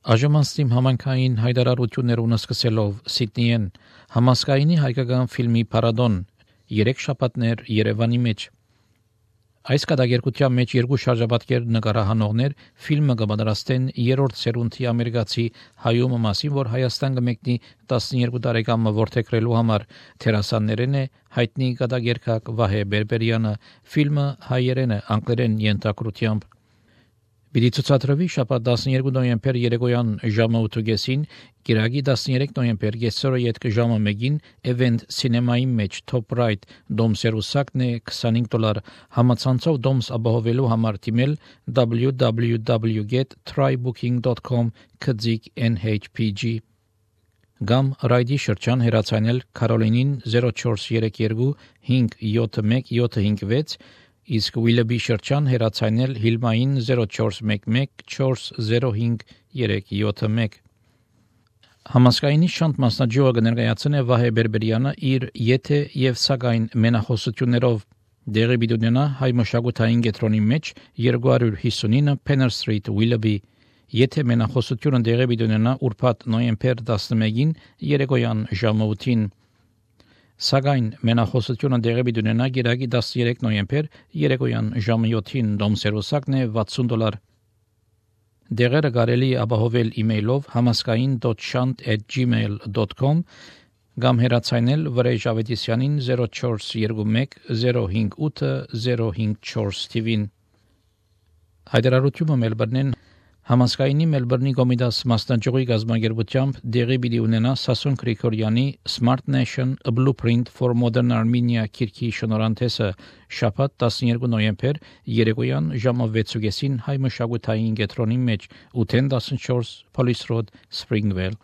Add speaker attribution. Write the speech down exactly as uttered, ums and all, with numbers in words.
Speaker 1: Աժմանստիմ համանքային հայտարարություններուն սկսելով Սիդնիեն համասկայնի հայկական ֆիլմի փառատոն երեք շաբաթներ Երևանի մեջ։ Այս կատակերգության մեջ երկու շարժապատկեր նկարահանողներ ֆիլմը կպատրաստեն երրորդ սերունդի ամերիկացի հայումը մասին, որ Հայաստան կմեկնի տասներկու տարեկան որդեգրելու համար թերասաններեն է հայտնի կատակերգակ Վահե Բերբերյանը, ֆիլմը հայերեն է, անգլերեն ենթագրությամբ։ Պիտի ցուցադրվի շաբաթ տասներկու նոյեմբեր երեկոյան ժամը ութ Կիրակի տասներեք նոյեմբեր կեսօրը յետք ժամը մեկին Event Cinema-ի մեջ Top Right դոմ սերուսակն է քսանհինգ դոլար համացանցով դոմս ապահովելու համար դիմել w w w dot try booking dot com քծիկ N H P G Գամ ռայդի շրջան հեռացանել Կարոլինին zero four three two five seven one seven five six իսկ Willoughby շրջան հեռացանել Հիլմային zero four one one four zero five three seven one Համասկայնի շանտ մասնաճյուղը կներկայացնե Վահե Բերբերյանը իր եթե եւ սակայն մենախոսություններով դեղի բիդունենա հայ մշակութային կենտրոնի մեջ two fifty-nine Penner Street Willoughby եթե մենախոսությունը դեղի բիդունենա ուրբաթ նոյեմբեր տասնմեկին երեկոյան ժամը ութին Սակայն մենախոսությունը դեղի բիդունենա Կիրակի տասներեք նոյեմբեր երեկոյան ժամը յոթին դոմ սերուսակն է վաթսուն դոլար Դեղերը կարելի ապահովել իմեյլով համասկային dot shant at gmail dot com կամ հեռացանել Վրեժ Ավետիսյանին zero four two one zero five eight zero five four թիվին Հայտարարությունը Մելբուրնեն Համասկայնի Մելբուրնի Կոմիտաս մասնաճյուղի գազագերբությամբ դեղի պիտի ունենա Սասուն Գրիգորյանի Smart Nation A Blueprint for Modern Armenia քիրքի շնորհանդեսը շաբաթ տասներկու նոյեմբեր երեկոյան ժամը վեցուկեսին հայ մշակութային կենտրոնի մեջ eight ten fourteen Police Road Springvale